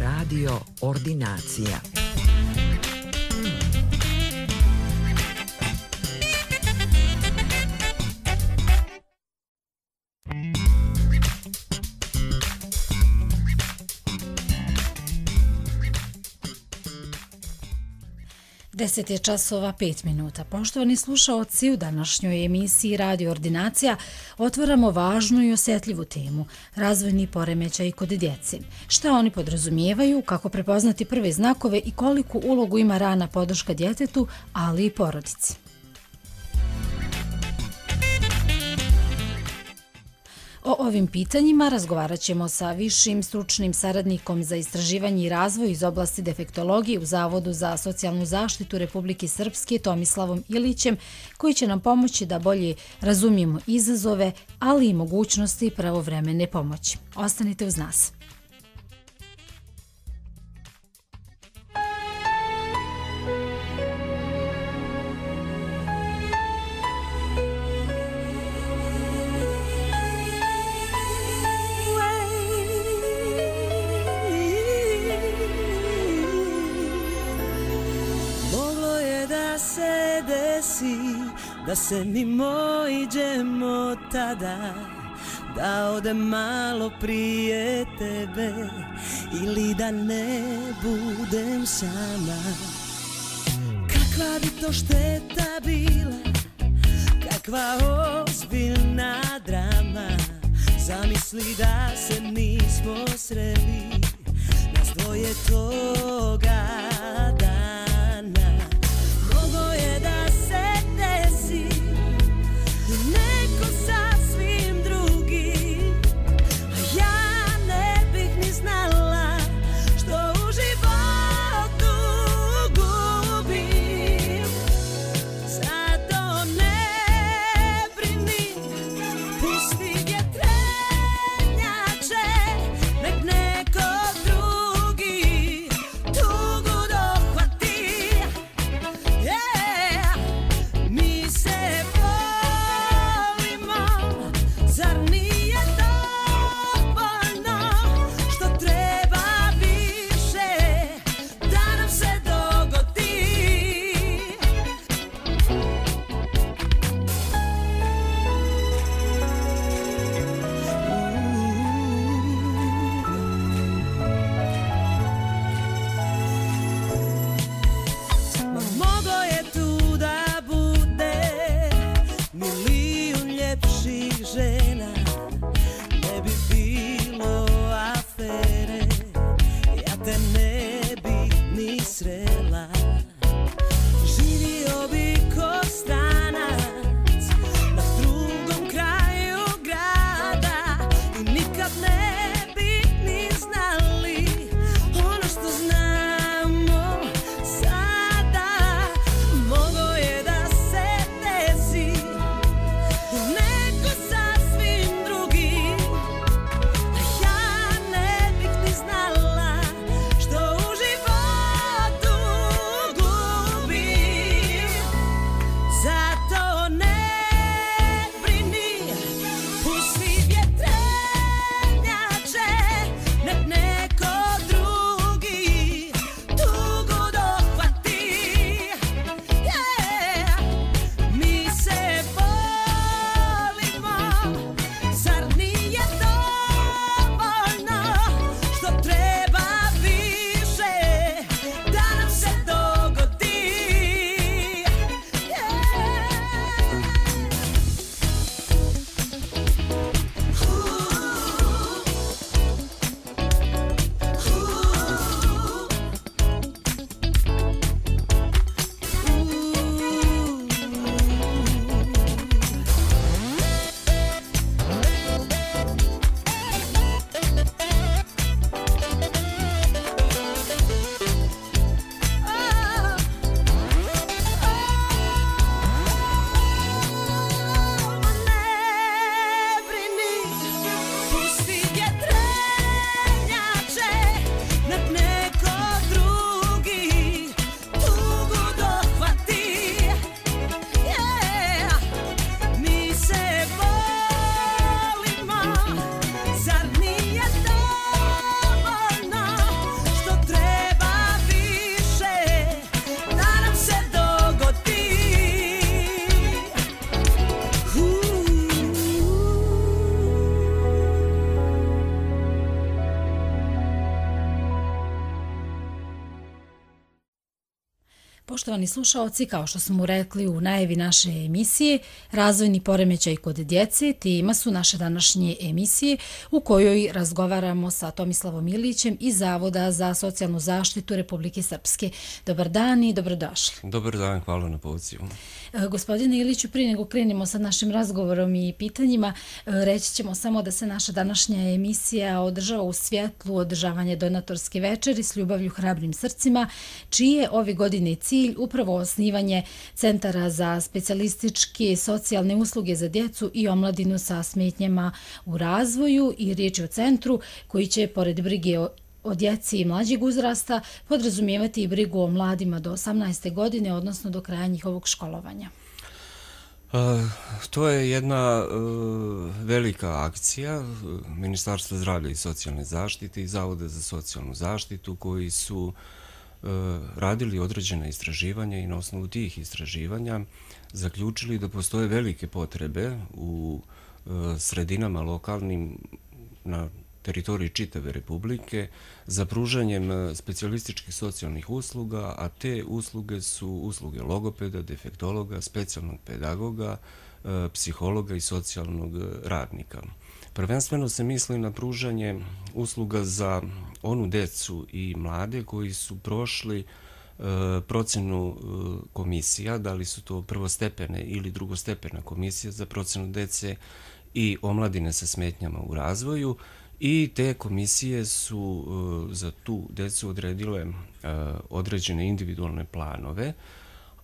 Radio Ordinacija. Deset je časova 5 minuta. Poštovani slušaoci, u današnjoj emisiji Radio Ordinacija otvaramo važnu i osjetljivu temu – razvojni poremećaj kod djece. Šta oni podrazumijevaju, kako prepoznati prve znakove i koliku ulogu ima rana podrška djetetu, ali i porodici. O ovim pitanjima razgovarat ćemo sa višim stručnim saradnikom za istraživanje i razvoj iz oblasti defektologije u Zavodu za socijalnu zaštitu Republike Srpske Tomislavom Ilićem, koji će nam pomoći da bolje razumijemo izazove, ali i mogućnosti pravovremene pomoći. Ostanite uz nas. Da se mi mojiđemo tada, da ode malo prije tebe ili da ne budem sama. Kakva bi to šteta bila, kakva ozbiljna drama. Zamisli da se nismo sreli, nas dvoje toga dana. Mogo je da se neko sasvim drugi, a ja ne bih ni znala što u životu gubim. Zato ne brini, pusti vjetrenjače, nek neko drugi tugu Poštovani slušaoci, kao što smo rekli u najavi naše emisije, razvojni poremećaj kod djece tema su naše današnje emisije u kojoj razgovaramo sa Tomislavom Ilićem iz Zavoda za socijalnu zaštitu Republike Srpske. Dobar dan i dobrodošli. Dobar dan, hvala na pozivu. Gospodine Iliću, prije nego krenemo sa našim razgovorom i pitanjima, reći ćemo samo da se naša današnja emisija održava u svjetlu održavanja donatorske večeri s ljubavlju hrabrim srcima, čiji je ove godine cilj upravo osnivanje centara za specijalističke socijalne usluge za djecu i omladinu sa smetnjama u razvoju i riječ je o centru koji će, pored brige o djeci i mlađeg uzrasta, podrazumijevati i brigu o mladima do 18. godine, odnosno do kraja njihovog školovanja. To je jedna velika akcija Ministarstva zdravlja i socijalne zaštite i Zavoda za socijalnu zaštitu koji su radili određena istraživanja i na osnovu tih istraživanja zaključili da postoje velike potrebe u sredinama lokalnim na teritoriji čitave Republike za pružanjem specijalističkih socijalnih usluga, a te usluge su usluge logopeda, defektologa, specijalnog pedagoga, psihologa i socijalnog radnika. Prvenstveno se misli na pružanje usluga za onu decu i mlade koji su prošli procenu komisija, da li su to prvostepene ili drugostepena komisija za procenu dece i omladine sa smetnjama u razvoju, i te komisije su za tu decu odredile određene individualne planove,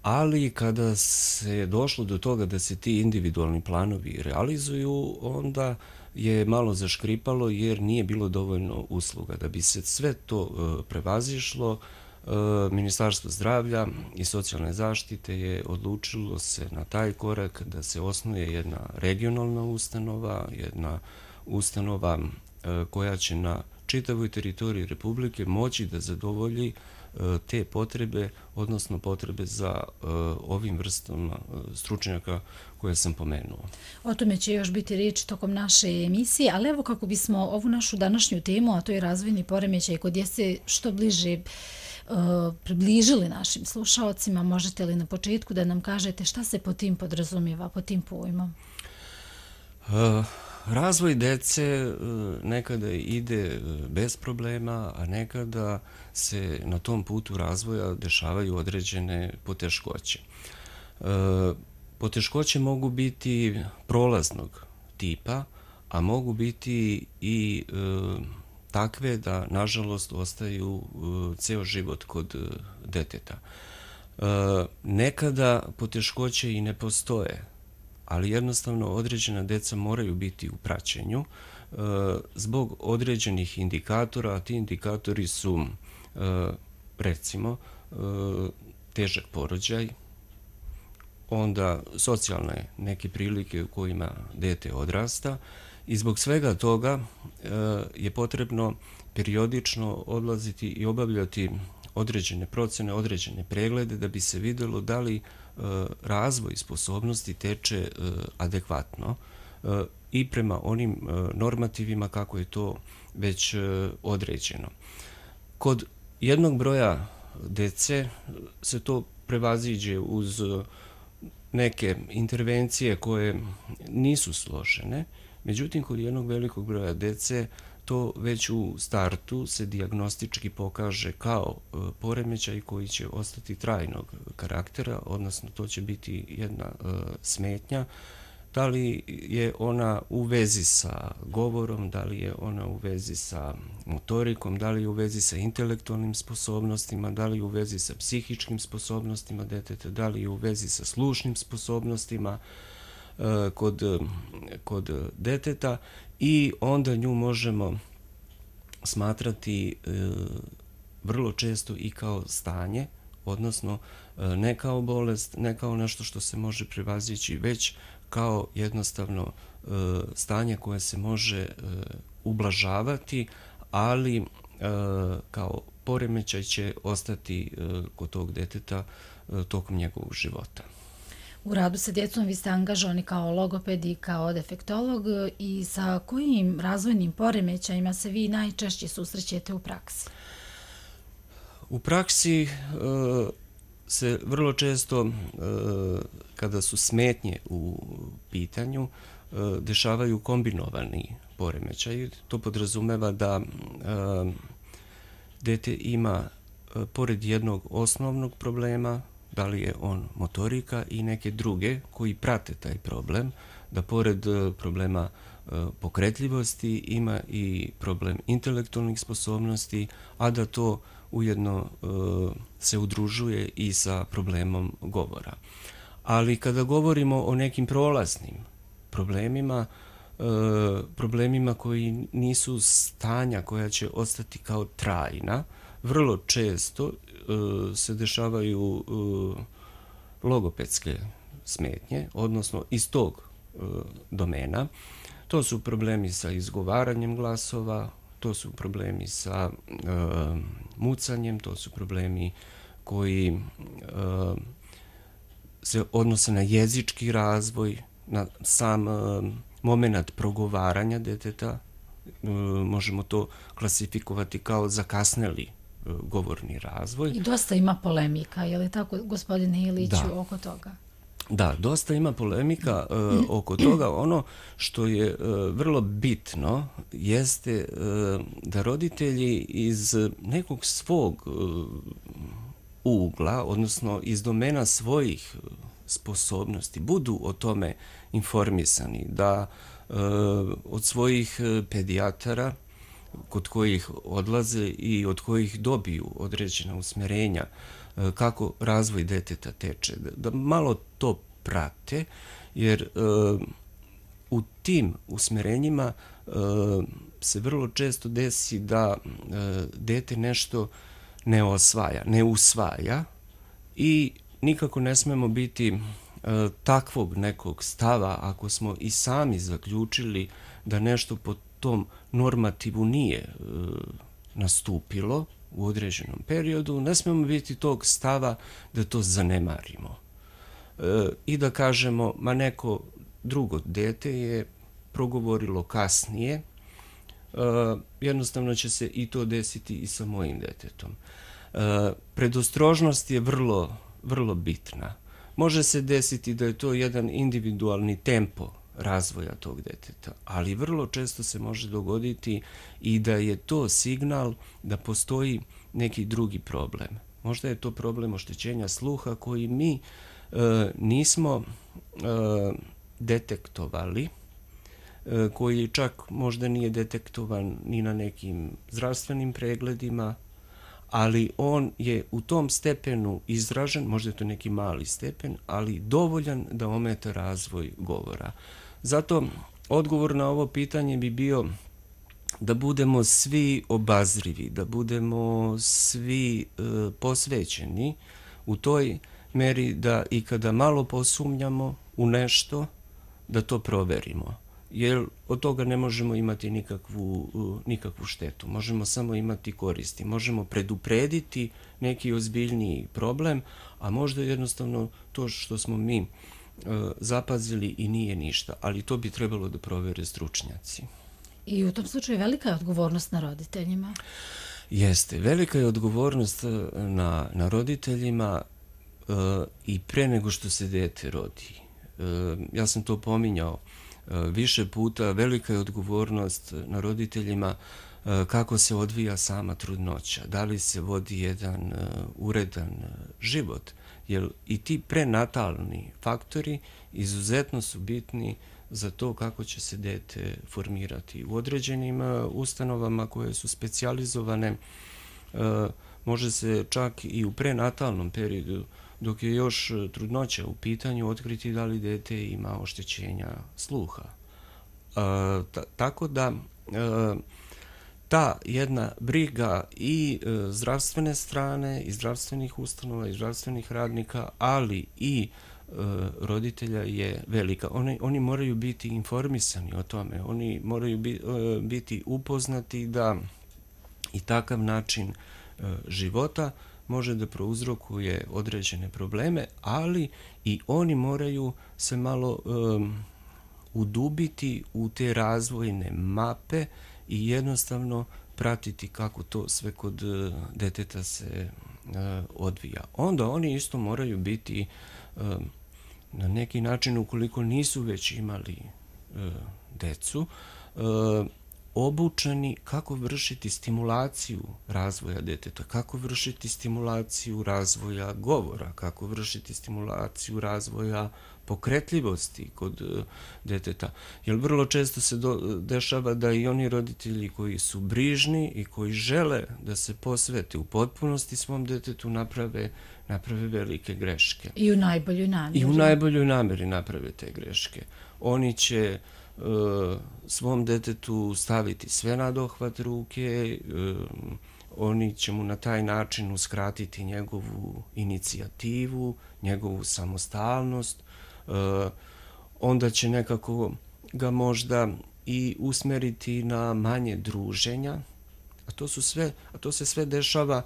ali kada se došlo do toga da se ti individualni planovi realizuju, onda je malo zaškripalo jer nije bilo dovoljno usluga. Da bi se sve to prevazišlo, Ministarstvo zdravlja i socijalne zaštite je odlučilo se na taj korak da se osnuje jedna regionalna ustanova, jedna ustanova koja će na čitavoj teritoriji Republike moći da zadovolji te potrebe, odnosno potrebe za ovim vrstama stručnjaka koje sam pomenuo. O tome će još biti riječ tokom naše emisije, ali evo kako bismo ovu našu današnju temu, a to je razvojni poremećaj kod djece, što bliže približili našim slušaocima, možete li na početku da nam kažete šta se po tim podrazumijeva, po tim pojmom? Razvoj dece nekada ide bez problema, a nekada se na tom putu razvoja dešavaju određene poteškoće. Poteškoće mogu biti prolaznog tipa, a mogu biti i takve da, nažalost, ostaju ceo život kod deteta. Nekada poteškoće i ne postoje, ali jednostavno određena deca moraju biti u praćenju zbog određenih indikatora, a ti indikatori su recimo težak porođaj, onda socijalne neke prilike u kojima dete odrasta i zbog svega toga je potrebno periodično odlaziti i obavljati određene procene, određene preglede da bi se vidjelo da li razvoj sposobnosti teče adekvatno i prema onim normativima kako je to već određeno. Kod jednog broja dece se to prevaziđe uz neke intervencije koje nisu složene, međutim kod jednog velikog broja dece to već u startu se dijagnostički pokaže kao poremećaj koji će ostati trajnog karaktera, odnosno to će biti jedna smetnja. Da li je ona u vezi sa govorom, da li je ona u vezi sa motorikom, da li je u vezi sa intelektualnim sposobnostima, da li je u vezi sa psihičkim sposobnostima deteta, da li je u vezi sa slušnim sposobnostima kod deteta, i onda nju možemo smatrati vrlo često i kao stanje, odnosno ne kao bolest, ne kao nešto što se može prevazići, već kao jednostavno stanje koje se može ublažavati, ali kao poremećaj će ostati kod tog deteta tokom njegovog života. U radu sa djecom vi ste angažovani kao logoped i kao defektolog, i sa kojim razvojnim poremećajima se vi najčešće susrećete u praksi? U praksi se vrlo često, kada su smetnje u pitanju, dešavaju kombinovani poremećaji. To podrazumeva da dete ima, pored jednog osnovnog problema, da li je on motorika i neke druge koji prate taj problem, da pored problema pokretljivosti ima i problem intelektualnih sposobnosti, a da to ujedno se udružuje i sa problemom govora. Ali kada govorimo o nekim prolaznim problemima koji nisu stanja koja će ostati kao trajna, vrlo često se dešavaju logopedske smetnje, odnosno iz tog domena. To su problemi sa izgovaranjem glasova, to su problemi sa mucanjem, to su problemi koji se odnose na jezički razvoj, na sam moment progovaranja deteta. Možemo to klasifikovati kao zakasneli govorni razvoj. I dosta ima polemika, je li tako, gospodine Iliću, oko toga? Da, dosta ima polemika oko toga. Ono što je vrlo bitno jeste da roditelji iz nekog svog ugla, odnosno iz domena svojih sposobnosti, budu o tome informisani, da od svojih pedijatara kod kojih odlaze i od kojih dobiju određena usmjerenja kako razvoj deteta teče, da malo to prate, jer u tim usmjerenjima se vrlo često desi da dete nešto ne osvaja, ne usvaja i nikako ne smemo biti takvog nekog stava ako smo i sami zaključili da nešto po tom normativu nije nastupilo u određenom periodu, ne smemo biti tog stava da to zanemarimo i da kažemo, ma neko drugo dete je progovorilo kasnije, jednostavno će se i to desiti i sa mojim detetom. Predostrožnost je vrlo bitna. Može se desiti da je to jedan individualni tempo razvoja tog deteta, ali vrlo često se može dogoditi i da je to signal da postoji neki drugi problem. Možda je to problem oštećenja sluha koji mi nismo detektovali, koji čak možda nije detektovan ni na nekim zdravstvenim pregledima, ali on je u tom stepenu izražen, možda je to neki mali stepen, ali dovoljan da ometa razvoj govora. Zato odgovor na ovo pitanje bi bio da budemo svi obazrivi, da budemo svi posvećeni u toj meri da i kada malo posumnjamo u nešto, da to proverimo. Jer od toga ne možemo imati nikakvu štetu. Možemo samo imati koristi. Možemo preduprediti neki ozbiljniji problem, a možda jednostavno to što smo mi zapazili i nije ništa. Ali to bi trebalo da provere stručnjaci. I u tom slučaju velika je odgovornost na roditeljima? Jeste. Velika je odgovornost na roditeljima i pre nego što se dete rodi. Ja sam to pominjao više puta, velika je odgovornost na roditeljima kako se odvija sama trudnoća, da li se vodi jedan uredan život, jer i ti prenatalni faktori izuzetno su bitni za to kako će se dete formirati. U određenim ustanovama koje su specijalizovane može se čak i u prenatalnom periodu, dok je još trudnoća u pitanju, otkriti da li dete ima oštećenja sluha. Tako da ta jedna briga i zdravstvene strane, i zdravstvenih ustanova, i zdravstvenih radnika, ali i roditelja je velika. Oni moraju biti informisani o tome, oni moraju biti upoznati da i takav način života može da prouzrokuje određene probleme, ali i oni moraju se malo udubiti u te razvojne mape i jednostavno pratiti kako to sve kod deteta se odvija. Onda oni isto moraju biti na neki način, ukoliko nisu već imali decu, obučeni kako vršiti stimulaciju razvoja deteta, kako vršiti stimulaciju razvoja govora, kako vršiti stimulaciju razvoja pokretljivosti kod deteta. Jer vrlo često se dešava da i oni roditelji koji su brižni i koji žele da se posvete u potpunosti svom detetu naprave velike greške. I u najboljoj namjeri. I u najboljoj namjeri naprave te greške. Oni će svom detetu staviti sve na dohvat ruke, oni će mu na taj način uskratiti njegovu inicijativu, njegovu samostalnost, onda će nekako ga možda i usmeriti na manje druženja, a to se sve dešava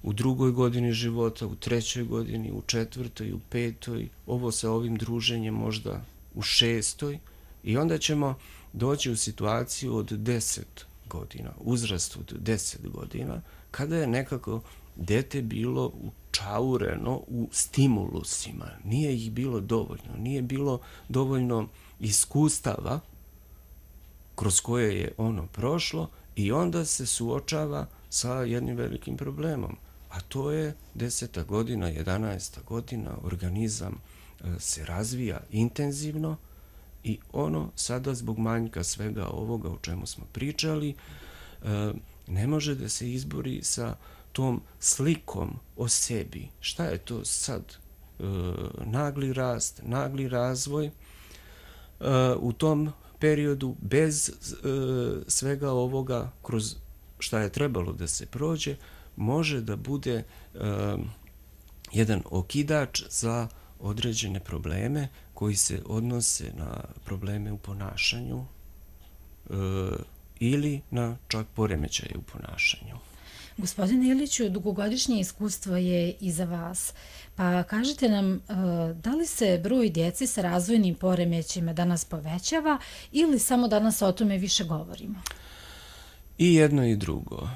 u 2. godini života, u 3. godini, u 4., u 5., ovo sa ovim druženjem možda u 6. I onda ćemo doći u situaciju od 10 godina, uzrast od 10 godina, kada je nekako dete bilo učaureno u stimulusima. Nije ih bilo dovoljno, nije bilo dovoljno iskustava kroz koje je ono prošlo i onda se suočava sa jednim velikim problemom. A to je 10. godina, 11. godina, organizam se razvija intenzivno i ono sada zbog manjka svega ovoga o čemu smo pričali ne može da se izbori sa tom slikom o sebi. Šta je to sad? Nagli rast, nagli razvoj u tom periodu bez svega ovoga kroz šta je trebalo da se prođe može da bude jedan okidač za određene probleme koji se odnose na probleme u ponašanju ili na čak poremećaje u ponašanju. Gospodine Iliću, dugogodišnje iskustvo je iza vas. Pa kažite nam, da li se broj djece sa razvojnim poremećajima danas povećava ili samo danas o tome više govorimo? I jedno i drugo.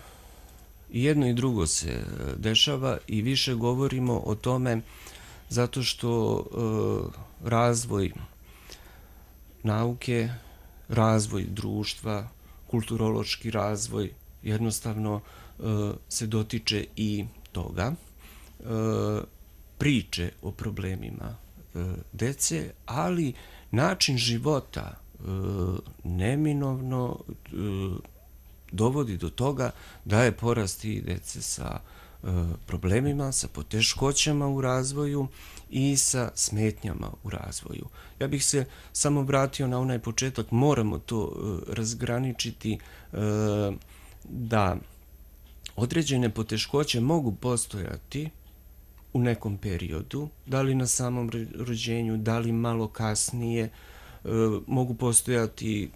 I jedno i drugo se dešava i više govorimo o tome zato što razvoj nauke, razvoj društva, kulturološki razvoj jednostavno se dotiče i toga. Priče o problemima dece, ali način života neminovno dovodi do toga da je porast i dece sa problemima, sa poteškoćama u razvoju i sa smetnjama u razvoju. Ja bih se samo vratio na onaj početak, moramo to razgraničiti da određene poteškoće mogu postojati u nekom periodu, da li na samom rođenju, da li malo kasnije, mogu postojati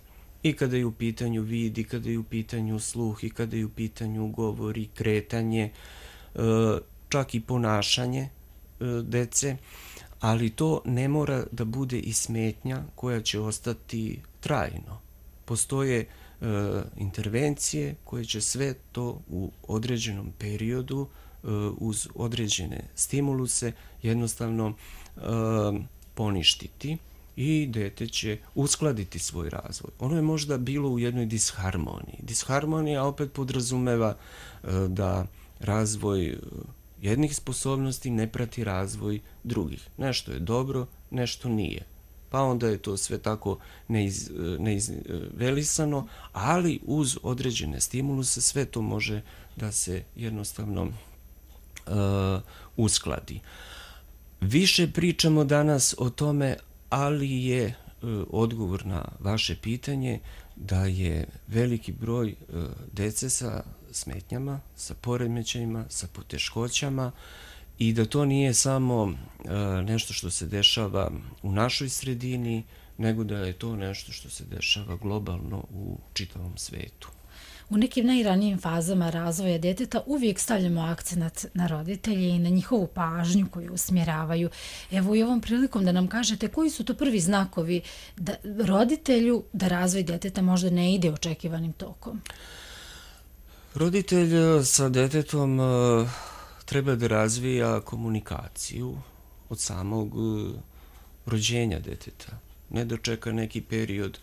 i kada je u pitanju vid, i kada je u pitanju sluh, i kada je u pitanju govor i kretanje, čak i ponašanje dece, ali to ne mora da bude i smetnja koja će ostati trajno. Postoje intervencije koje će sve to u određenom periodu uz određene stimuluse jednostavno poništiti i dete će uskladiti svoj razvoj. Ono je možda bilo u jednoj disharmoniji. Disharmonija opet podrazumeva da razvoj jednih sposobnosti ne prati razvoj drugih. Nešto je dobro, nešto nije. Pa onda je to sve tako neizvelisano, ali uz određene stimuluse sve to može da se jednostavno uskladi. Više pričamo danas o tome, ali je odgovor na vaše pitanje da je veliki broj dece sa smetnjama, sa poremećajima, sa poteškoćama i da to nije samo nešto što se dešava u našoj sredini, nego da je to nešto što se dešava globalno u čitavom svetu. U nekim najranijim fazama razvoja djeteta uvijek stavljamo akcenat na roditelje i na njihovu pažnju koju usmjeravaju. Evo i ovom prilikom da nam kažete koji su to prvi znakovi da roditelju da razvoj djeteta možda ne ide očekivanim tokom? Roditelj sa djetetom treba da razvija komunikaciju od samog rođenja deteta. Ne da čeka neki period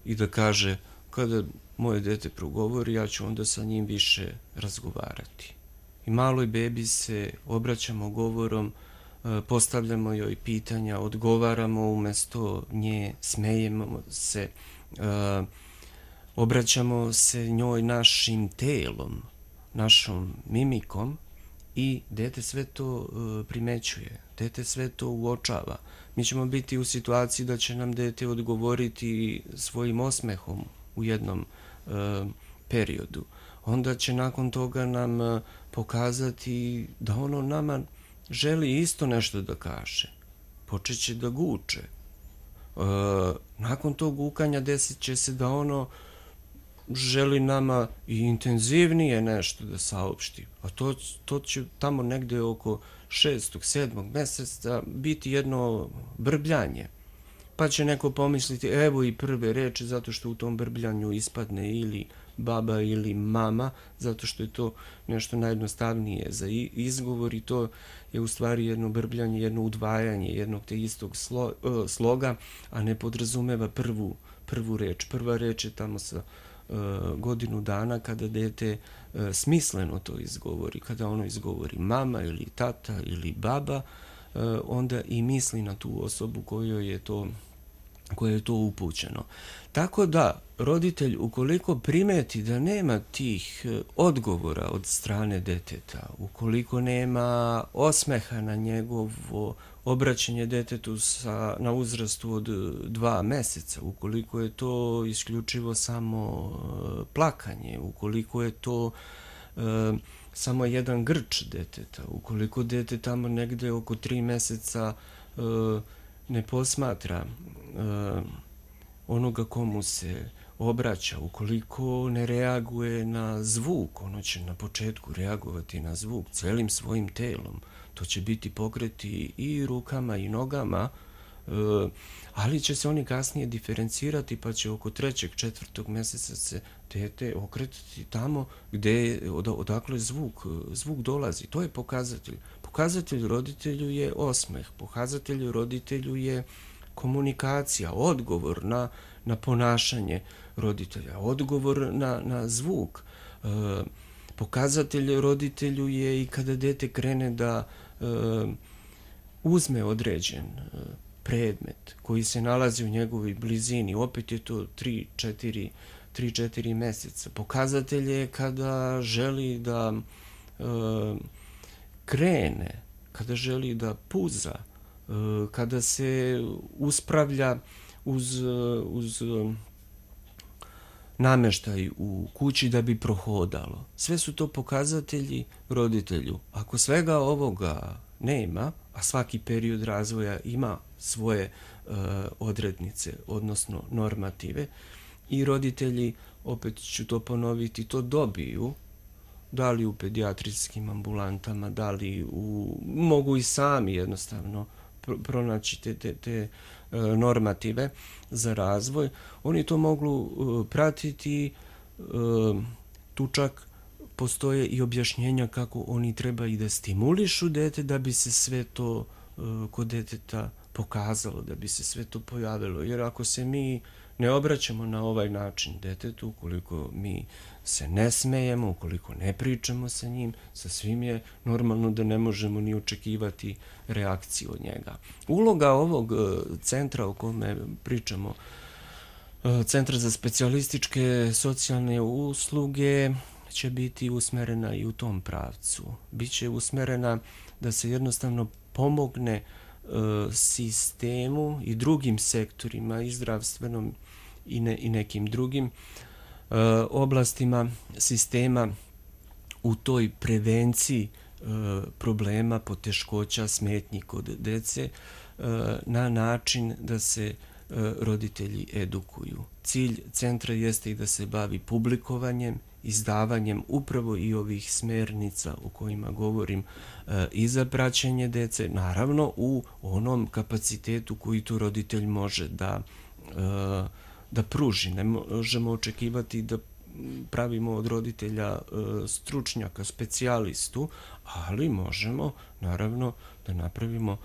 i da kaže kada moje dete progovori, ja ću onda sa njim više razgovarati. I maloj bebi se obraćamo govorom, postavljamo joj pitanja, odgovaramo umjesto nje, smejemo se, obraćamo se njoj našim telom, našom mimikom i dete sve to primećuje, dete sve to uočava. Mi ćemo biti u situaciji da će nam dete odgovoriti svojim osmehom u jednom periodu. Onda će nakon toga nam pokazati da ono nama želi isto nešto da kaže. Počeće da guče. Nakon tog gukanja desit će se da ono želi nama i intenzivnije nešto da saopšti. A to će tamo negde oko 6. 7. meseca biti jedno brbljanje. Pa će neko pomisliti evo i prve reči zato što u tom brbljanju ispadne ili baba ili mama, zato što je to nešto najjednostavnije za izgovor i to je u stvari jedno brbljanje, jedno udvajanje jednog te istog sloga, a ne podrazumeva prvu reč. Prva reč je tamo sa godinu dana kada dete smisleno to izgovori. Kada ono izgovori mama ili tata ili baba, onda i misli na tu osobu kojoj je to upućeno. Tako da, roditelj ukoliko primeti da nema tih odgovora od strane deteta, ukoliko nema osmeha na njegovo obraćanje detetu na uzrastu od 2 meseca, ukoliko je to isključivo samo plakanje, ukoliko je to samo jedan grč deteta, ukoliko dete tamo negde oko 3 meseca ne posmatra onoga komu se obraća, ukoliko ne reaguje na zvuk, ono će na početku reagovati na zvuk celim svojim telom, to će biti pokreti i rukama i nogama, ali će se oni kasnije diferencirati pa će oko 3. 4. meseca se dete okretati tamo odakle zvuk dolazi. To je pokazatelj. Pokazatelj roditelju je osmeh, pokazatelj roditelju je komunikacija, odgovor na ponašanje roditelja, odgovor na zvuk. Pokazatelj roditelju je i kada dete krene da uzme određen predmet koji se nalazi u njegovoj blizini, opet je to 3-4 meseca. Pokazatelj je kada želi da krene, kada želi da puza, kada se uspravlja uz nameštaj u kući da bi prohodalo. Sve su to pokazatelji roditelju. Ako svega ovoga nema, a svaki period razvoja ima svoje odrednice, odnosno normative, i roditelji, opet ću to ponoviti, to dobiju, da li u pedijatrijskim ambulantama, da li mogu i sami jednostavno pronaći te normative za razvoj. Oni to mogu pratiti, tu čak postoje i objašnjenja kako oni treba i da stimulišu dete da bi se sve to kod deteta pokazalo, da bi se sve to pojavilo. Jer ako se mi ne obraćamo na ovaj način detetu, ukoliko mi se ne smejemo, ukoliko ne pričamo sa njim, sa svim je normalno da ne možemo ni očekivati reakciju od njega. Uloga ovog centra o kome pričamo, Centra za specijalističke socijalne usluge, će biti usmerena i u tom pravcu. Biće usmerena da se jednostavno pomogne sistemu i drugim sektorima, i zdravstvenom i nekim drugim oblastima sistema u toj prevenciji problema, poteškoća, smetnji kod dece na način da se roditelji edukuju. Cilj centra jeste i da se bavi publikovanjem, izdavanjem upravo i ovih smernica o kojima govorim i za praćenje dece, naravno u onom kapacitetu koji tu roditelj može da pruži. Ne možemo očekivati da pravimo od roditelja stručnjaka, specijalistu, ali možemo naravno da napravimo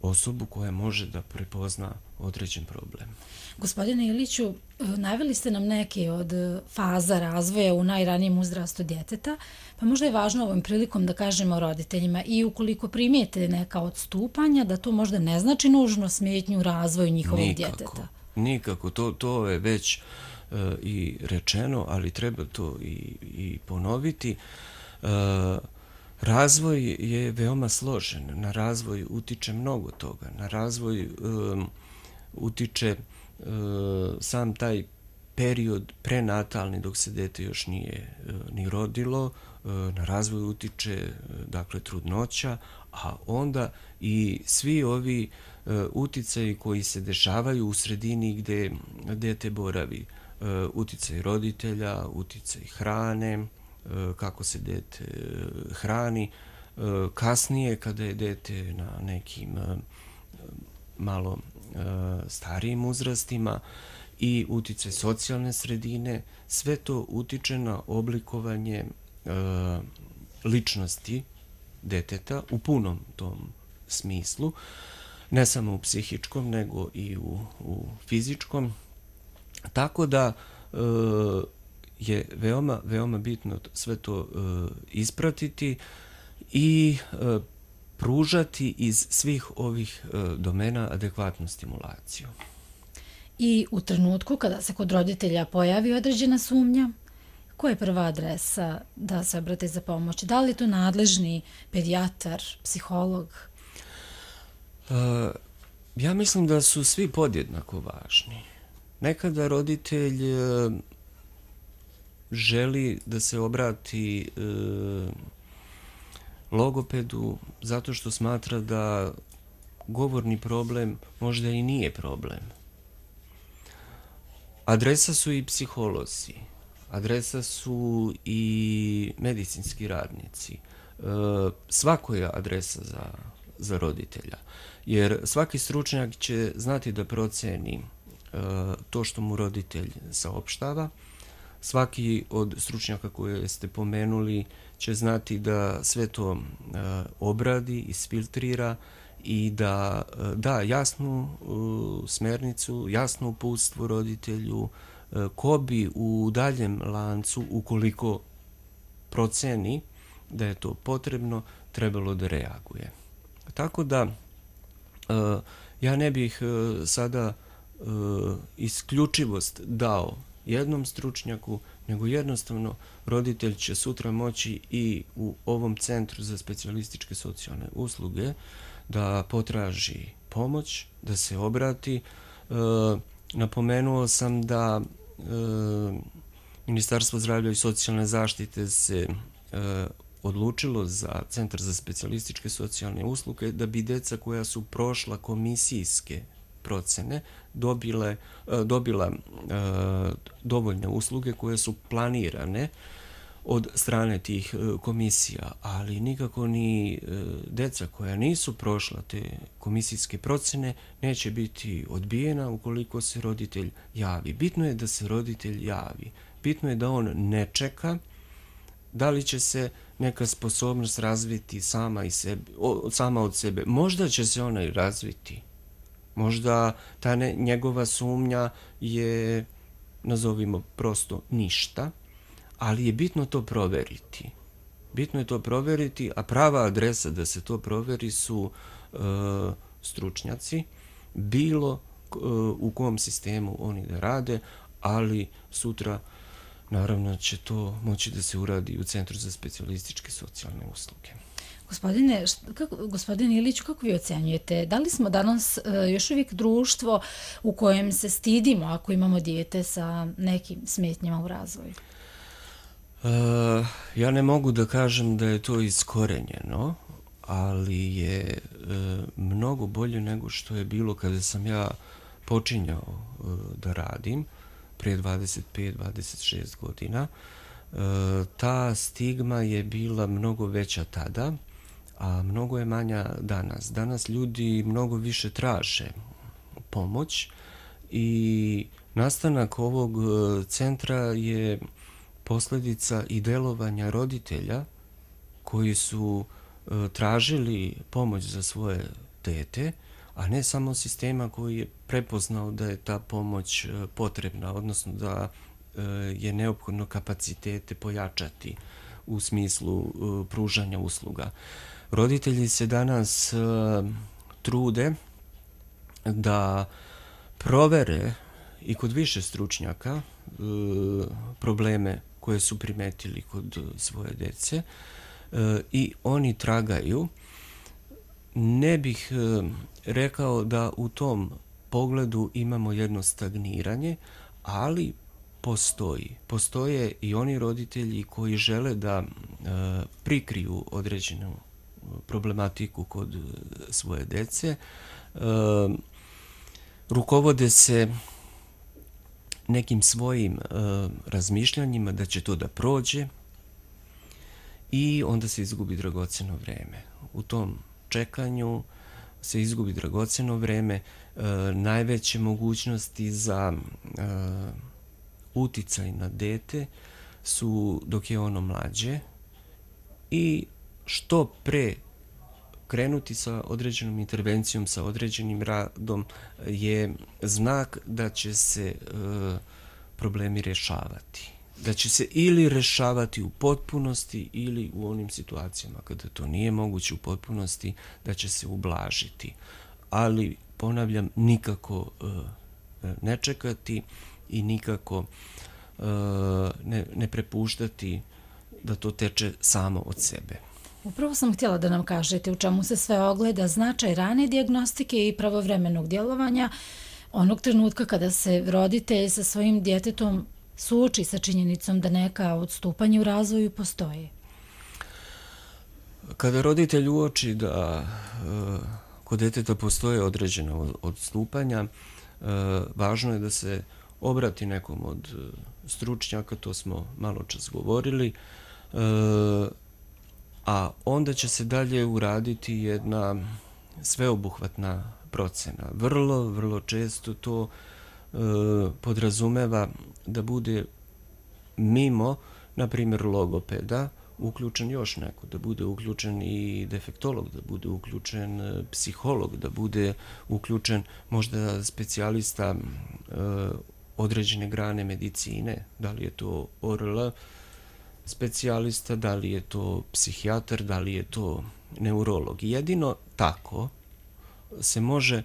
osobu koja može da prepozna određen problem. Gospodine Iliću, naveli ste nam neke od faza razvoja u najranijem uzrastu djeteta, pa možda je važno ovom prilikom da kažemo roditeljima i ukoliko primijete neka odstupanja, da to možda ne znači nužno smetnju u razvoju njihovog djeteta. Nikako, to je već i rečeno, ali treba to i ponoviti. Razvoj je veoma složen, na razvoj utiče mnogo toga, na razvoj utiče sam taj period prenatalni dok se dete još nije ni rodilo, na razvoj utiče dakle trudnoća, a onda i svi ovi uticaji koji se dešavaju u sredini gdje dete boravi, uticaj roditelja, uticaj hrane, kako se dete hrani, kasnije kada je dete na nekim malo starijim uzrastima i uticaj socijalne sredine, sve to utiče na oblikovanje ličnosti deteta u punom tom smislu, ne samo u psihičkom, nego i u fizičkom. Tako da je veoma bitno sve to ispratiti i pružati iz svih ovih domena adekvatnu stimulaciju. I u trenutku kada se kod roditelja pojavi određena sumnja, koja je prva adresa da se obrate za pomoć? Da li je to nadležni pedijatar, psiholog? Ja mislim da su svi podjednako važni. Nekada roditelj želi da se obrati logopedu zato što smatra da govorni problem možda i nije problem. Adresa su i psiholozi, adresa su i medicinski radnici. Svako je adresa za roditelja, jer svaki stručnjak će znati da proceni to što mu roditelj saopštava. Svaki od stručnjaka koje ste pomenuli će znati da sve to obradi, isfiltrira i da da jasnu smernicu, jasno uputstvo roditelju ko bi u daljem lancu, ukoliko proceni da je to potrebno, trebalo da reaguje. Tako da ja ne bih sada isključivost dao jednom stručnjaku, nego jednostavno roditelj će sutra moći i u ovom centru za specijalističke socijalne usluge da potraži pomoć, da se obrati. Napomenuo sam da Ministarstvo zdravlja i socijalne zaštite se odlučilo za Centar za specijalističke socijalne usluge da bi deca koja su prošla komisijske procene dobila dovoljne usluge koje su planirane od strane tih komisija, ali nikako ni deca koja nisu prošla te komisijske procene neće biti odbijena ukoliko se roditelj javi. Bitno je da se roditelj javi. Bitno je da on ne čeka da li će se neka sposobnost razviti sama od sebe. Možda će se ona i razviti. Možda ta njegova sumnja je, nazovimo prosto, ništa, ali je bitno to proveriti. Bitno je to proveriti, a prava adresa da se to proveri su stručnjaci, bilo u kom sistemu oni da rade, ali sutra naravno će to moći da se uradi u Centru za specijalističke socijalne usluge. Gospodine Iliću, kako vi ocenjujete? Da li smo danas još uvijek društvo u kojem se stidimo ako imamo dijete sa nekim smetnjama u razvoju? Ja ne mogu da kažem da je to iskorenjeno, ali je mnogo bolje nego što je bilo kada sam ja počinjao da radim prije 25-26 godina. Ta stigma je bila mnogo veća tada, a mnogo je manja danas. Danas ljudi mnogo više traže pomoć i Nastanak ovog centra je posljedica i delovanja roditelja koji su tražili pomoć za svoje dete, a ne samo sistema koji je prepoznao da je ta pomoć potrebna, odnosno da je neophodno kapacitete pojačati u smislu pružanja usluga. Roditelji se danas trude da provere i kod više stručnjaka probleme koje su primetili kod svoje dece i oni tragaju. Ne bih rekao da u tom pogledu imamo jedno stagniranje, ali postoje i oni roditelji koji žele da prikriju određenu problematiku kod svoje dece, rukovode se nekim svojim razmišljanjima da će to da prođe i onda se izgubi dragoceno vreme. U tom čekanju se izgubi dragoceno vreme, najveće mogućnosti za uticaj na dete su dok je ono mlađe i što pre krenuti sa određenom intervencijom, sa određenim radom je znak da će se problemi rješavati. Da će se ili rješavati u potpunosti ili u onim situacijama kada to nije moguće u potpunosti da će se ublažiti. Ali, ponavljam, nikako ne čekati i nikako ne prepuštati da to teče samo od sebe. Upravo sam htjela da nam kažete u čemu se sve ogleda značaj rane dijagnostike i pravovremenog djelovanja onog trenutka kada se roditelj sa svojim djetetom suoči sa činjenicom da neka odstupanja u razvoju postoje. Kada roditelj uoči da kod djeteta postoje određena odstupanja, važno je da se obrati nekom od stručnjaka, to smo malo čas govorili, a onda će se dalje uraditi jedna sveobuhvatna procena. Vrlo često to podrazumeva da bude mimo, na primjer, logopeda, uključen još neko, da bude uključen i defektolog, da bude uključen psiholog, da bude uključen možda specijalista određene grane medicine, da li je to ORL specijalista, da li je to psihijatar, da li je to neurolog. Jedino tako se može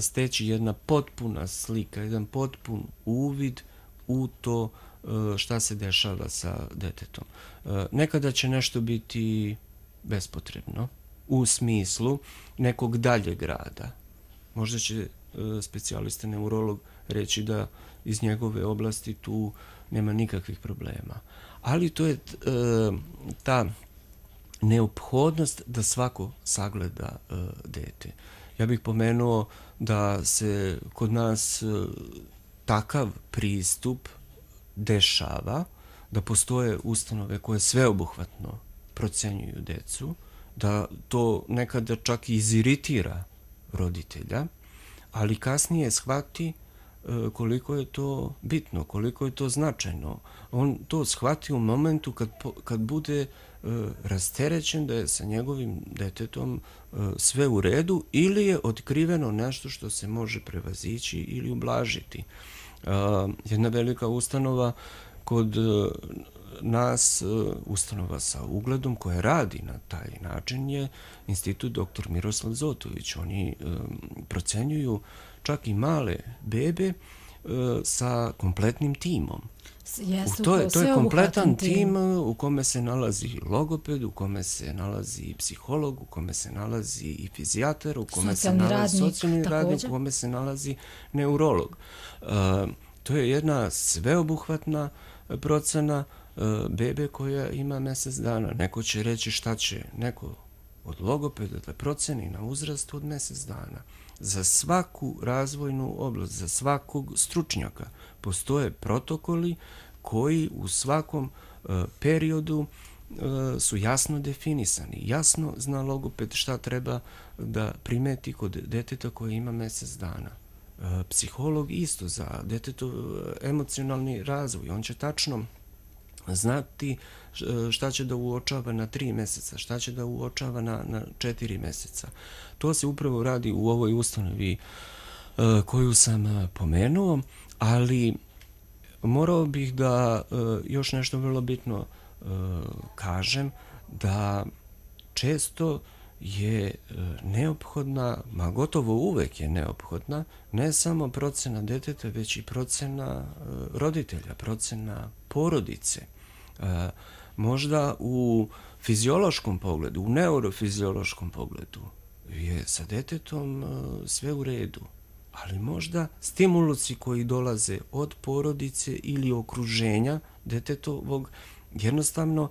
steći jedna potpuna slika, jedan potpun uvid u to šta se dešava sa detetom. Nekada će nešto biti bespotrebno u smislu nekog daljeg rada. Možda će specijalista neurolog reći da iz njegove oblasti tu nema nikakvih problema. Ali to je ta neophodnost da svako sagleda dete. Ja bih pomenuo da se kod nas takav pristup dešava, da postoje ustanove koje sveobuhvatno procenjuju decu, da to nekada čak i iziritira roditelja, ali kasnije shvati koliko je to bitno, koliko je to značajno. On to shvati u momentu kad bude rasterećen da je sa njegovim detetom sve u redu ili je otkriveno nešto što se može prevazići ili ublažiti. Jedna velika ustanova kod nas, ustanova sa ugledom koja radi na taj način je Institut dr. Miroslav Zotović. Oni procenjuju čak i male bebe sa kompletnim timom. To je kompletan tim u kome se nalazi logoped, u kome se nalazi psiholog, u kome se nalazi i fizijatar, u kome se nalazi socijalni radnik, u kome se nalazi neurolog. To je jedna sveobuhvatna procena bebe koja ima mjesec dana. Neko će reći šta će neko od logopeda da proceni na uzrast od mjesec dana. Za svaku razvojnu oblast, za svakog stručnjaka postoje protokoli koji u svakom periodu su jasno definisani. Jasno zna logoped šta treba da primeti kod deteta koje ima mjesec dana. Psiholog isto za detetov emocionalni razvoj. On će tačno znati šta će da uočava na 3 meseca, šta će da uočava na 4 meseca. To se upravo radi u ovoj ustanovi koju sam pomenuo, ali morao bih da još nešto vrlo bitno kažem, da često je neophodna, ma gotovo uvek je neophodna, ne samo procena deteta, već i procena roditelja, procena porodice. Možda u fiziološkom pogledu, u neurofiziološkom pogledu je sa detetom sve u redu, ali možda stimulusi koji dolaze od porodice ili okruženja detetovog jednostavno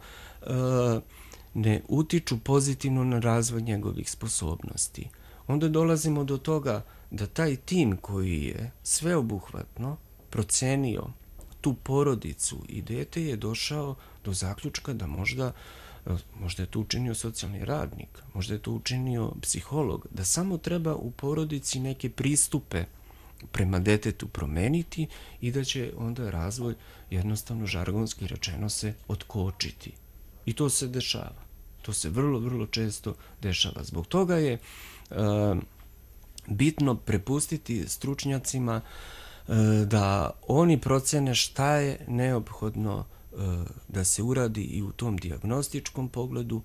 ne utiču pozitivno na razvoj njegovih sposobnosti. Onda dolazimo do toga da taj tim koji je sveobuhvatno procenio tu porodicu i dete je došao do zaključka da možda je to učinio socijalni radnik, možda je to učinio psiholog, da samo treba u porodici neke pristupe prema detetu promeniti i da će onda razvoj jednostavno žargonski rečeno se otkočiti. I to se dešava. To se vrlo, vrlo često dešava. Zbog toga je bitno prepustiti stručnjacima da oni procene šta je neophodno da se uradi i u tom dijagnostičkom pogledu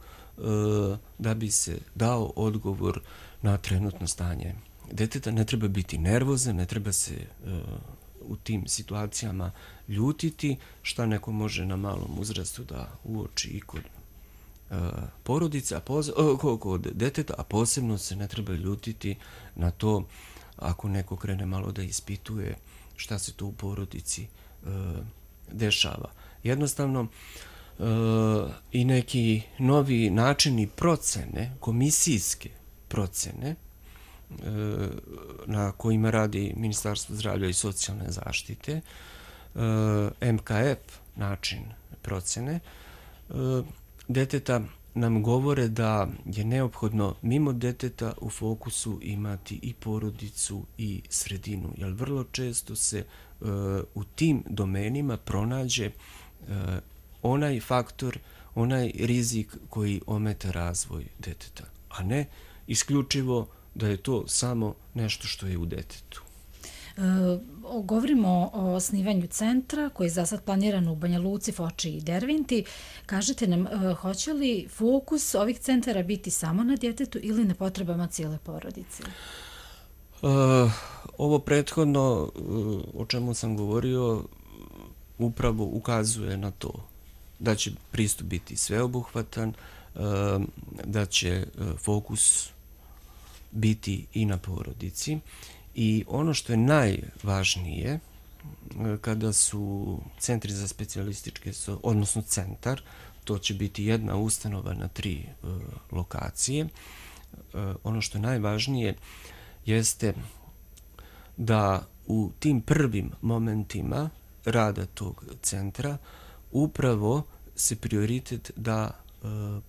da bi se dao odgovor na trenutno stanje deteta. Ne treba biti nervozan, ne treba se u tim situacijama ljutiti, šta neko može na malom uzrastu da uoči i kod porodice, kod deteta, a posebno se ne treba ljutiti na to ako neko krene malo da ispituje šta se to u porodici dešava. Jednostavno, i neki novi načini procene, komisijske procene, na kojima radi Ministarstvo zdravlja i socijalne zaštite, MKF način procene deteta, nam govore da je neophodno mimo deteta u fokusu imati i porodicu i sredinu, jer vrlo često se u tim domenima pronađe onaj faktor, onaj rizik koji ometa razvoj deteta, a ne isključivo da je to samo nešto što je u detetu. Govorimo o osnivanju centra koji je za sad planiran u Banja Luci, Foči i Derventi. Kažete nam, hoće li fokus ovih centara biti samo na djetetu ili na potrebama cijele porodice? Ovo prethodno o čemu sam govorio upravo ukazuje na to da će pristup biti sveobuhvatan, da će fokus biti i na porodici. I ono što je najvažnije kada su centri za specijalističke, odnosno centar, to će biti jedna ustanova na 3 lokacije, ono što je najvažnije jeste da u tim prvim momentima rada tog centra upravo se prioritet da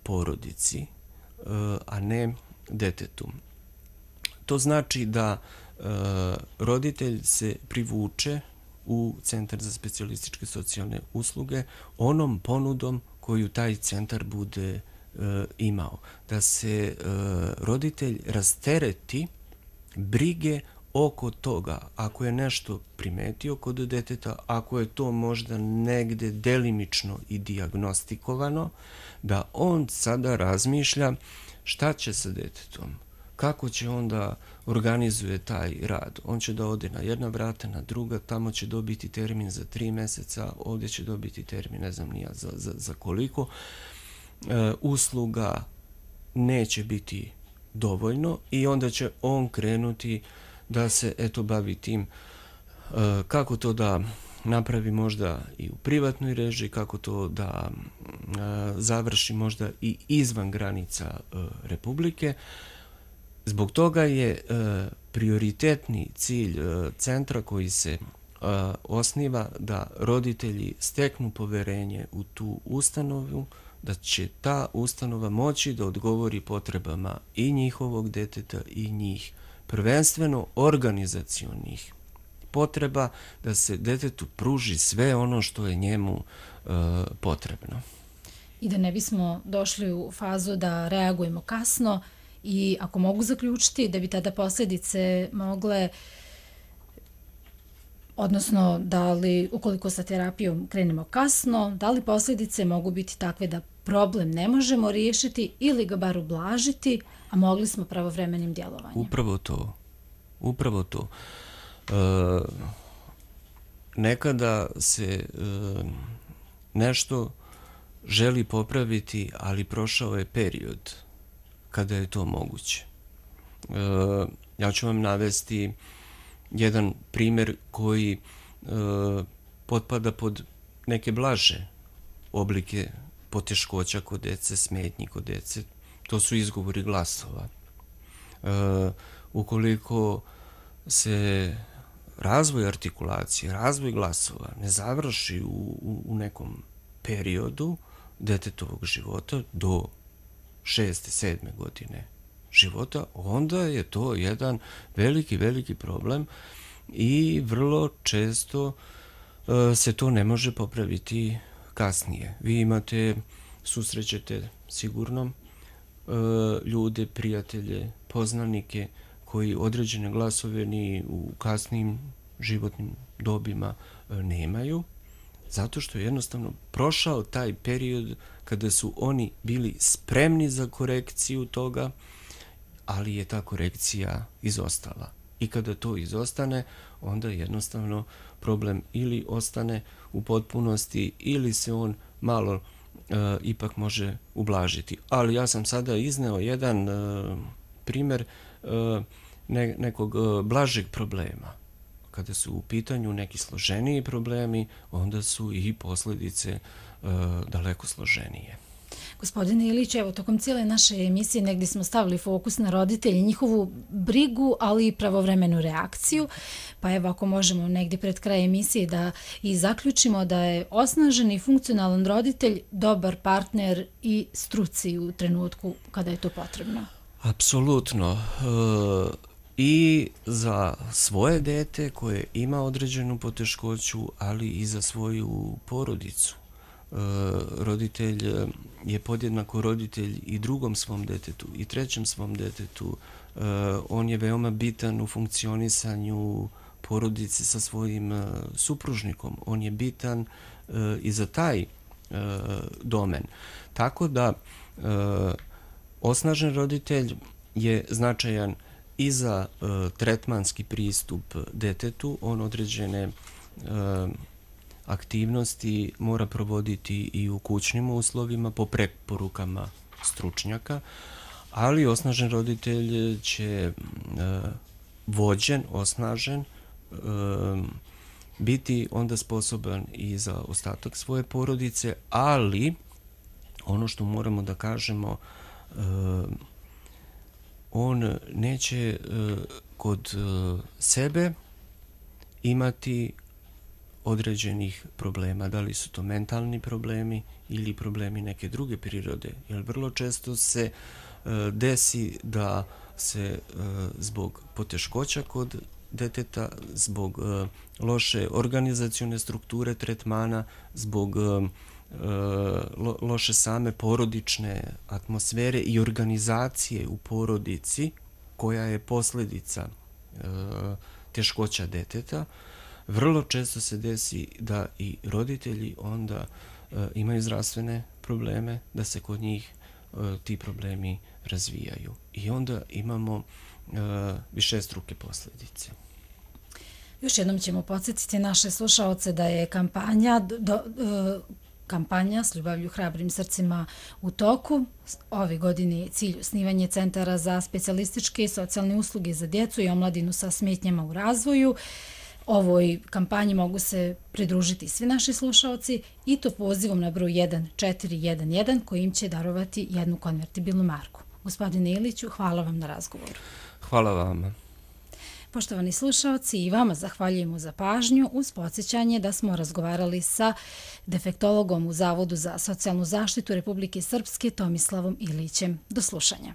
porodici, a ne detetu. To znači da roditelj se privuče u centar za specijalističke socijalne usluge onom ponudom koju taj centar bude imao. Da se roditelj rastereti brige oko toga, ako je nešto primetio kod deteta, ako je to možda negde delimično i dijagnostikovano, da on sada razmišlja šta će sa detetom, kako će onda organizuje taj rad. On će da ode na jedna vrata, na druga, tamo će dobiti termin za 3 meseca, ovdje će dobiti termin, ne znam nija za koliko. Usluga neće biti dovoljno i onda će on krenuti da se bavi tim kako to da napravi možda i u privatnoj režiji, kako to da završi možda i izvan granica Republike. Zbog toga je prioritetni cilj centra koji se osniva da roditelji steknu poverenje u tu ustanovu, da će ta ustanova moći da odgovori potrebama i njihovog deteta i njih prvenstveno organizacionih potreba da se detetu pruži sve ono što je njemu potrebno. I da ne bismo došli u fazu da reagujemo kasno i ako mogu zaključiti da bi tada posljedice mogle, odnosno da li ukoliko sa terapijom krenemo kasno, da li posljedice mogu biti takve da problem ne možemo riješiti ili ga bar ublažiti, a mogli smo pravovremenim djelovanjem. Upravo to. Nekada se nešto želi popraviti, ali prošao je period kada je to moguće. Ja ću vam navesti jedan primjer koji potpada pod neke blaže oblike poteškoća kod dece, smetnji kod dece. To su izgovori glasova. Ukoliko se razvoj artikulacije, razvoj glasova ne završi u nekom periodu detetovog života do 6. 7. godine života, onda je to jedan veliki problem i vrlo često se to ne može popraviti kasnije. Vi susrećete sigurno ljude, prijatelje, poznanike koji određene glasove ni u kasnim životnim dobima nemaju, zato što je jednostavno prošao taj period kada su oni bili spremni za korekciju toga, ali je ta korekcija izostala. I kada to izostane, onda jednostavno problem ili ostane u potpunosti ili se on malo ipak može ublažiti. Ali ja sam sada izneo jedan primjer nekog blažeg problema. Kada su u pitanju neki složeniji problemi, onda su i posljedice daleko složenije. Gospodine Ilić, evo, tokom cijele naše emisije negdje smo stavili fokus na roditelji, njihovu brigu, ali i pravovremenu reakciju. Pa evo, ako možemo negdje pred kraj emisije da i zaključimo da je osnažen i funkcionalan roditelj dobar partner i struci u trenutku kada je to potrebno. Apsolutno. I za svoje dete koje ima određenu poteškoću, ali i za svoju porodicu. Roditelj je podjednako roditelj i drugom svom detetu i trećem svom detetu. On je veoma bitan u funkcionisanju porodice sa svojim supružnikom. On je bitan i za taj domen. Tako da osnažen roditelj je značajan i za tretmanski pristup detetu. On određene aktivnosti mora provoditi i u kućnim uslovima po preporukama stručnjaka, ali osnažen roditelj će vođen, osnažen, biti onda sposoban i za ostatak svoje porodice, ali ono što moramo da kažemo, on neće kod sebe imati određenih problema, da li su to mentalni problemi ili problemi neke druge prirode, jer vrlo često se desi da se zbog poteškoća kod deteta, zbog loše organizacione strukture tretmana, zbog loše same porodične atmosfere i organizacije u porodici, koja je posljedica teškoća deteta, vrlo često se desi da i roditelji onda imaju zdravstvene probleme, da se kod njih ti problemi razvijaju. I onda imamo višestruke posljedice. Još jednom ćemo podsjetiti naše slušaoce da je kampanja S ljubavlju hrabrim srcima u toku. Ove godine je cilj osnivanje centara za specijalističke i socijalne usluge za djecu i omladinu sa smetnjama u razvoju. Ovoj kampanji mogu se pridružiti svi naši slušaoci i to pozivom na broj 1411 kojim će darovati jednu konvertibilnu marku. Gospodine Iliću, hvala vam na razgovoru. Hvala vam. Poštovani slušaoci, i vama zahvaljujemo za pažnju uz podsjećanje da smo razgovarali sa defektologom u Zavodu za socijalnu zaštitu Republike Srpske Tomislavom Ilićem. Do slušanja.